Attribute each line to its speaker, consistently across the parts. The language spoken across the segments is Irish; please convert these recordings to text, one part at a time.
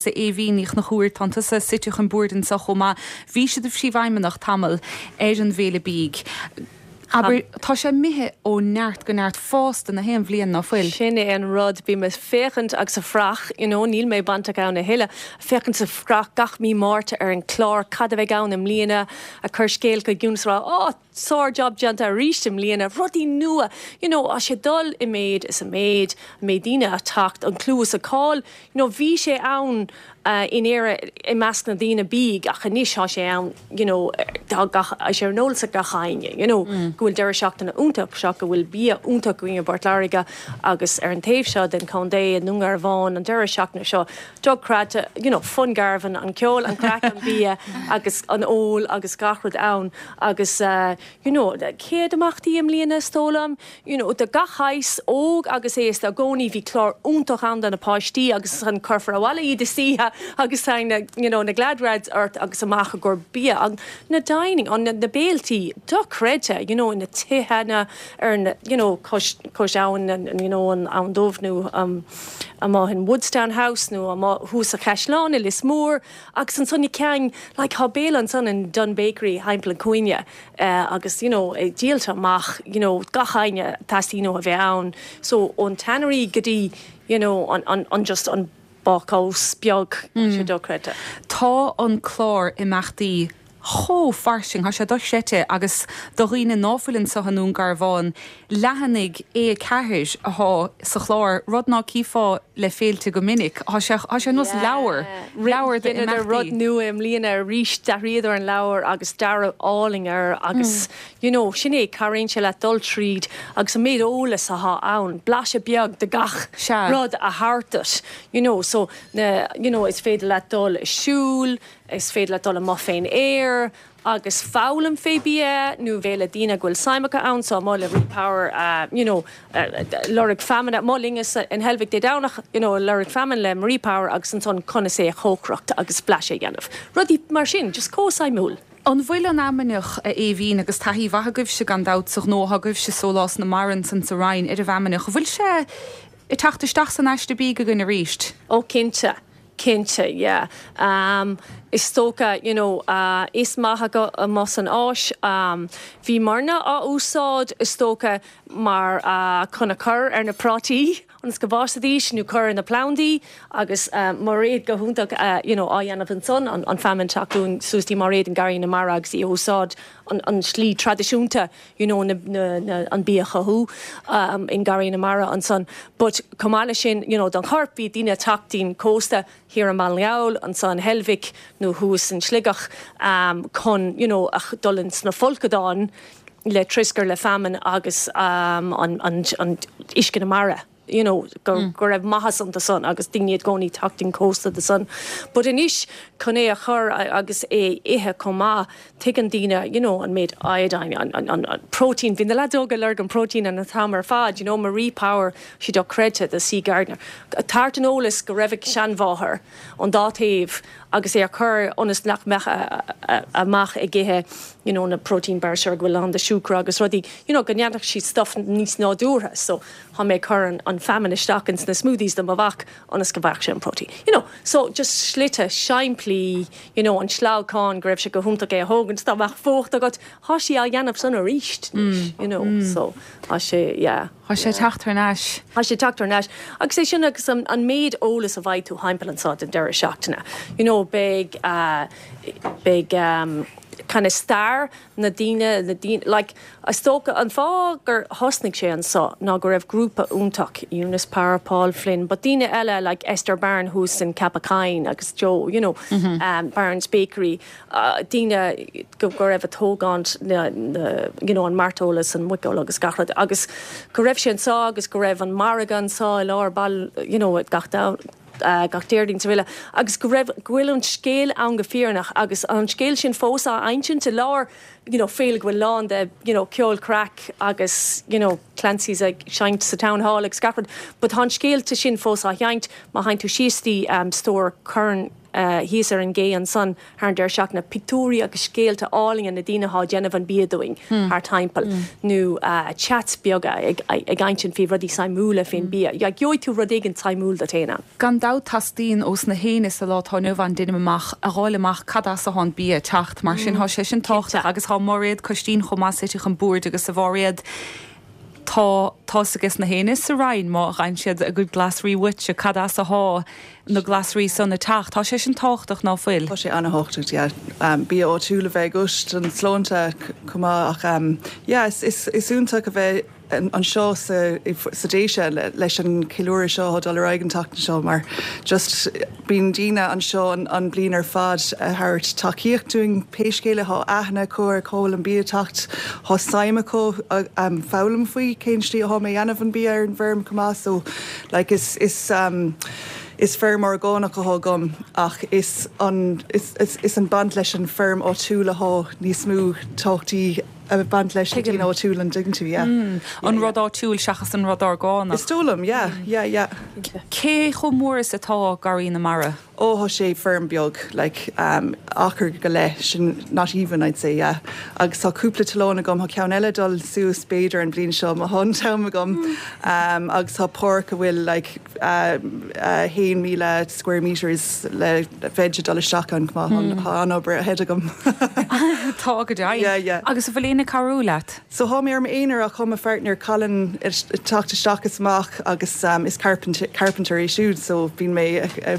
Speaker 1: A Aoibhín Ní Chonchúir, tánn tusa suite chun boird anso chomh maith. Bhís i do phríomhfheidhmeannach tamall ar an bhFéile Bídh. Abair, tá sé imithe ó neart go neart fosta na haon bhliain, ná fuil?
Speaker 2: Sin é an rud, bím ag féachaint agus ag fuireach, you know, níl mé bainteach ann a thuilleadh, féachaint ag fuireach gach mí Márta ar an chlár, cad a bheidh ann i mbliana, ag cur scéal chuig Eunice a rá, oh, sár job déanta arís i mbliana, rudaí nua, you know, tá sé ag dul i méid is i méid, an méid daoine ag teacht, an clú is an cáil, You know bhí sé ann in Éire i measc na daoine bídh ach anois tá sé ann you know tá gach tá sé ar an eolas ag gach éinne you know go bhfuil deireadh seachtaine iontach seo go bhfuil bia iontach againn i bPort Láirge agus ar an taobh seo den chontae i nDún Garbhán an deireadh seachtaine seo dochreidte you know Fun Garvan an ceol an craic an bia agus an ól agus gach rud ann agus you know 100 imeachtaí i mbliana is dóigh liom you know, de gach shaghas, óg agus aosta, i gcónaí bhí clár iontach ann do na páistí agus ansan cuirfear abhaile iad istoíche agus tá na, you know, na glad rags ort agus amach i gcomhair bia an, na dining, an, na, na béiltí dochreidte, you know, na tithe, na, ar na, you know, cois, cois abhann, an, you know, an Abhainn Dubh nó um, amuigh in Woodstown House nó amuigh thuas sa Chaisleán i Lios Mór agus ansan na ceann, like, tá béile ansan in Dunne Bakery thimpeall an cúinne. agus you know díolta amach you know gach éinne teastaíonn uathu a bheith ann so ón Tannery go dtí you know an an an just an bácús beag tá sé dochreidte.
Speaker 1: Tá an clár imeachtaí chomh fairsing, tá sé dochreidte agus do dhaoine ná fuil anso i nDún Garbhán, leathanaigh A4 athá sa chlár, rud ná cífeá le féilte go minic. Thá sé, thá sé ar nós leabhar, leabhar
Speaker 2: de Dheineadar rud imeachtaí. nua i mbliana arís, d'athraíodar an leabhar agus dearadh álainn air agus you know, sin é, cabhraíonn sé leat dul tríd agus an méid eolas athá ann, blaiseadh beag de gach
Speaker 1: Sea.
Speaker 2: rud a thabhairt duit, you know, so na, you know, is féidir leat dul ag siúl, is féidir leat dul amuigh fén aer, agus foghlaim fé bia nó bheith le daoine go bhfuil suim acu ann so amuigh le Repower you know lorg feamainne amuigh linn in Heilbhic Dé Domhnach you know lorg feamainn le Marie Power agus ansan conas é a chócaireacht agus blaiseadh a dhéanamh. Rudaí mar sin, just chomh suimiúil.
Speaker 1: An bhfuil an fheamainneach, a Aoibhín, agus taithí mhaith agaibhse gan dabht sa ghnó atá agaibhse Sólás na Mara ansan sa Rinn ar an bhfeamainneach, an bhfuil sé ag teacht isteach san aiste bídh againn arís?
Speaker 2: Ó cinnte. Cinnte, yeah. Is dócha, you know, is maith acu amuigh san Áis. Bhíomarna á úsáid, is dócha, mar chun a chur ar na prátaí ionas go bhfásfaidís nó cur ar na plandaí agus Mairéad go hiontach, you know, á dhéanamh ansan, an feamainn teacht dúinn suas dtí Mairéad in Garraí na Mara agus í a úsáid an slí traidisiúnta. you know na na an bia a chothú in Garraí na Mara ansan but chomh maith leis sin you know don chorp bhí daoine ag teacht dtí'n cósta thiar i mBaile na nGall ansan in Heilbhic nó thuas in Sligeach chun you know a dul ins na folcadáin le troscar le feamainn agus an an an uisce na mara. you know, go go raibh maitheas iontu san agus daoine i gcónaí teacht dtí'n cósta do san. But anois chun é a chur agus é ithe chomh maith, tuigeann daoine, you know, an méid iodine, an, an, an, an protein, bhí na lads óga ag lorg an protein an t-am ar fad, you know, Marie Power, sí dochreidte, the Sea Gardener. Tabhairt an eolas go raibh a seanmháthair ón dá taobh agus é a chur ionas nach mbeadh a, a, a mac ag ithe, you know, na protein bars seo go bhfuil lán de siúcra agus rudaí, you know, go ndéanfadh siad stuff níos nádúrtha. So, Tá mé ag cur an feamainn isteach ins na smoothies do mo mhac ionas go bhfaigheadh sé an protein. You know, so just slite simplí, you know, an sleamhcán go raibh sé go hiontach é a thógaint dá mbeadh fuacht agat, tá sí á dhéanamh san aríst anois, you know, so tá sé, yeah.
Speaker 1: Tá sé ag teacht thar n-ais.
Speaker 2: Tá sé ag teacht thar n-ais. Agus é sin agus an méid eolas a bhfaighidh tú thimpeall anso den deireadh seachtaine, you know, beidh, beidh kind of stair na daoine, na daoine, like, is dócha, an fáth gur thosnaigh sé anso ná go raibh grúpa iontach, Eunice Power, Paul Flynn, but daoine eile like Esther Byrne thuas in Ceapach Choinn agus Joe, you know, Byrne's Bakery, daoine go, go raibh ag tógáint na, na, you know, an mairteoil is an muiceoil agus gach rud agus go raibh sé anso agus go raibh an margadh anso i lár baile, you know, gach gach Déardaoin is araile agus go raibh, go bhfuil an scéal ann go fírinneach agus an scéal sin fós á insint i lár you know féile go bhfuil lán de you know ceol craic agus you know Clancy's ag seinnt sa Town Hall agus gach rud but tá an scéalta sin fós á sheinnt má théann tú síos dtí stór Curran. thíos ar an gcé ansan thar an deireadh seachtaine, pictiúirí agus scéalta álainne na daoine athá ag déanamh an bia dúinn thar timpeall nó chats beaga ag insint faoi rudaí suimiúla faoin bia. Gheobhaidh tú rud éigin suimiúil duit féin ann.
Speaker 1: Gan dabht teastaíonn ós na héinne sa lá atá inniu ann, deinim amach, a dh'fháil amach cad as athá an bia ag teacht. Mar sin thá sé sin tábhachtach agus thá Máiréad Coistín chomh maith suite chun boird agus a Mháiréad tá tá's ages na héinne sa Rinn má gheibheann siad a gcuid glasraí uaitse cad as athá na glasraí san ag teacht. Tá sé sin tábhachtach ná fuil?
Speaker 3: Tá sé ana-thábhachtach, yeah. Bia áitiúil a bheith agat don tsláinte chomh maith ach yeah is iontach a bheith anseo sa Déise leis an cheiliúradh seo atá ag dul ar aghaidh an tseachtain seo mar just bíonn daoine anseo an bliain ar fad a thabhairt tacaíocht dúinn pé scéal é thá aithne acu ar cá bhfuil an bia ag teacht thá suim acu foghlaim faoi cén slí athá mé a dhéanamh an bia ar an bhfeirm chomh maith so like is is is feirm orgánach athá agam ach is an is is an baint leis an feirm áitiúil athá níos mó tábhachtaí a baint leis na daoine áitiúil an dtuigeann tú, yeah.
Speaker 1: An rud áitiúil seachas an rud orgánach.
Speaker 3: Is dóigh liom, yeah, yeah, yeah.
Speaker 1: Cé chomh mór is atá Garraí na Mara?
Speaker 3: Ó, thá sé feirm beag, like, achar go leith, sin, not even, I'd say, yeah. Agus tá cúpla tollán agam, tá ceann eile ag dul suas b'fhéidir an bhliain seo má thá an t-am agam, agus tá páirc a bhfuil, like, 1,000 square metres le veg ag dul isteach ann chomh maith. Tá an-obair ahead agam.
Speaker 1: Tá go deimhin. Yeah, yeah. Agus an bhfuil éinne ag cabhrú leat?
Speaker 3: So thá mé ar m'aonar ach thá mo pháirtnéir Colin ag teacht isteach is amach agus is carpenter é siúd so bíonn mé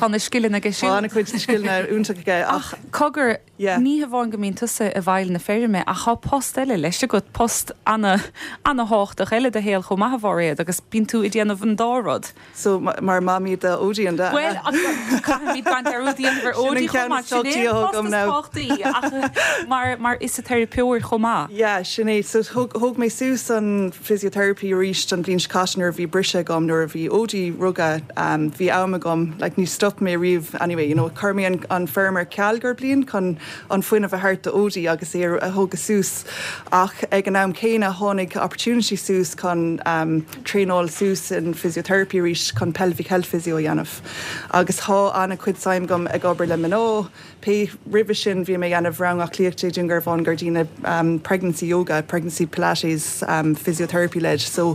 Speaker 1: Tá na scileanna aige siúd.
Speaker 3: Tá an-chuid scileanna iontach aige
Speaker 1: ach. Cogar,
Speaker 3: Yeah.
Speaker 1: Ní hamháin go mbíonn tusa i bhfeighil na feirme ach thá post eile leis agat, post ana, ana-thábhachtach eile i do shaol chomh maith a Mháiréad agus bíonn tú ag déanamh an dá rud.
Speaker 3: So mar mamaí do Odie an
Speaker 1: ea? Bhuel, caithfimid baint dearúd a dhéanamh ar Odie chomh maith, sin é an post is tábhachtaí ach mar, mar fhisiteiripeoir chomh maith.
Speaker 3: Yeah, sin é. So thóg, thóg mé suas an physiotherapy arís an bhliain seo caite nuair a bhí briseadh agam nuair a bhí Odie rugtha bhí am agam like ní stop mé riamh anyway you know chuir mé an an feirm ar ceal gur bliain chun an fuinneamh a thabhairt do Odie agus é a thógadh suas ach ag an am céanna tháinig opportunity suas chun traenáil suas in physiotherapy arís chun pelvic health physio a dhéanamh agus thá an-chuid suim agam ag obair le mná Pé roimhe sin bhí mé ag déanamh rang aclaíochta i Dún Garbhán gur daoine pregnancy yoga, pregnancy pilates, physiotherapy led so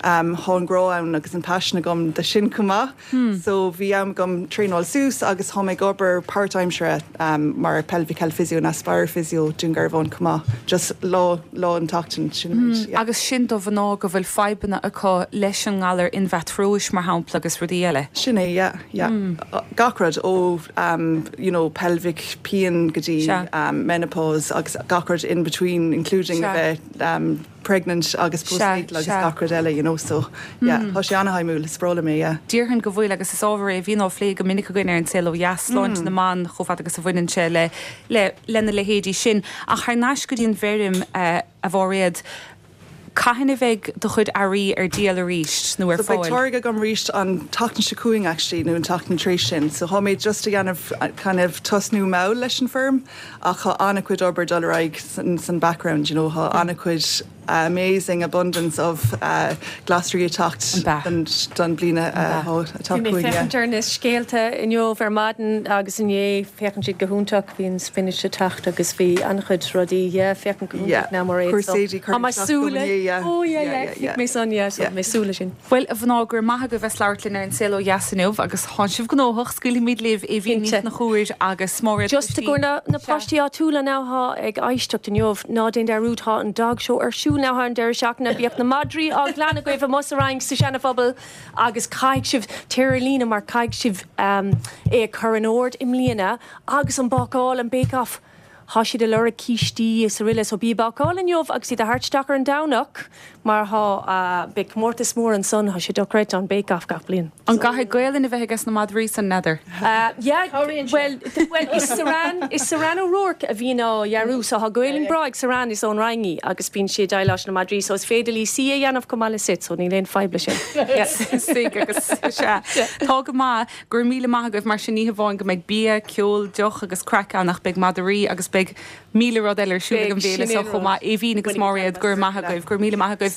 Speaker 3: thá an grá ann agus an paisean agam do sin chomh maith. So bhí am agam traenáil suas agus thá mé ag obair páirtaimseartha mar pelvic health physio in Aspire Physio Dún Garbhán chomh maith just lá lá an tseachtain sin an
Speaker 1: méid yeah. Agus sin do mhná go bhfuil fadhbanna acu leis an ngalar inmheatróis mar shampla agus rudaí eile.
Speaker 3: Sin é yeah. Yeah. Gach rud ó you know pelvic pian go dtí menopause agus gach rud in between including a bheith pregnant agus postnatal agus gach rud eile you know so yeah tá sé ana-shuimiúil, is breá liom é yeah.
Speaker 1: Déarfainn go bhfuil agus is ábhar é a bhíonn á phlé go minic againn ar An Saol Ó Dheas, sláinte na mban chomh fada agus a bhaineann sé le le lena leithéidí sin. Ach thar n-ais go dtí an bhfeirm a Mháiréad, Cathain a bheidh do chuid earraí ar díol arís, nó ar
Speaker 3: So beidh fáil? táirge agam arís an tseachtain seo chugainn actually nó an tseachtain tar éis sin. So thá mé just a dhéanamh kind of tosnú mall leis an feirm ach thá an-chuid obair dul ar aghaidh san san background you know thá an-chuid amazing abundance of glasraí ag teacht
Speaker 1: An
Speaker 3: b'ea? don bliain
Speaker 2: An b'ea? atá Bhí mé chugainn yeah. féachaint ar na scéalta inniu ar maidin agus inné féachann siad go hiontach. Bhí an spinach ag teacht agus bhí an-chuid rudaí, yeah, féachann go hiontach now mar
Speaker 3: é, so tá mé ag
Speaker 2: súil le, oh yeah, yeah, yeah, mé san, yeah, so mé ag súil le sin.
Speaker 1: Bhuel, a mhná, go raibh maith agaibh as labhairt linn ar An Saol Ó Dheas inniu agus thánn sibh gnóthach, scaoilfimid libh Aoibhín Ní Chonchúir agus Máiréad
Speaker 2: Just i gcomhair na páistí áitiúla now thá ag éisteacht inniu, ná déan dearúd thá an dog show ar siúl now thar an deireadh seachtaine, bíodh na madraí á nglanadh agaibh amuigh sa Fhrainc sa Seana-Phobal agus caithfidh sibh téir ar líne mar caithfidh sibh é a chur in ord i mbliana Agus an bácáil, an bake off, thá siad ag lorg cístí is aroile so bí ag bácáil inniu agus iad a thabhairt isteach ar an Domhnach mar thá, beidh comórtas mór ansan, thá sé dochreidte an bake off gach bliain.
Speaker 1: An gcaithfidh Gaelainn a bheith ages na madraí san, n'fheadar?
Speaker 2: Yeah, bhuel, bhuel is Saran, is Saran O'Rourke a bhíonn á dhearadh so thá Gaelainn breá ag Saran, is ón Rinn í agus bíonn sí ag déileáil leis na madraí so is féidir léi suí a dhéanamh chomh maith le sit so níl aon fadhb le sin.
Speaker 1: Suigh agus sea. Tá go maith. Go raibh míle maith agaibh, mar sin ní hamháin go mbeidh bia, ceol, deoch agus craic ann ach beidh madraí agus beidh míle rud eile ar siúl ag an bhféile seo chomh maith. Aoibhín agus Máiréad, go raibh maith agaibh, go raibh míle maith agaibh.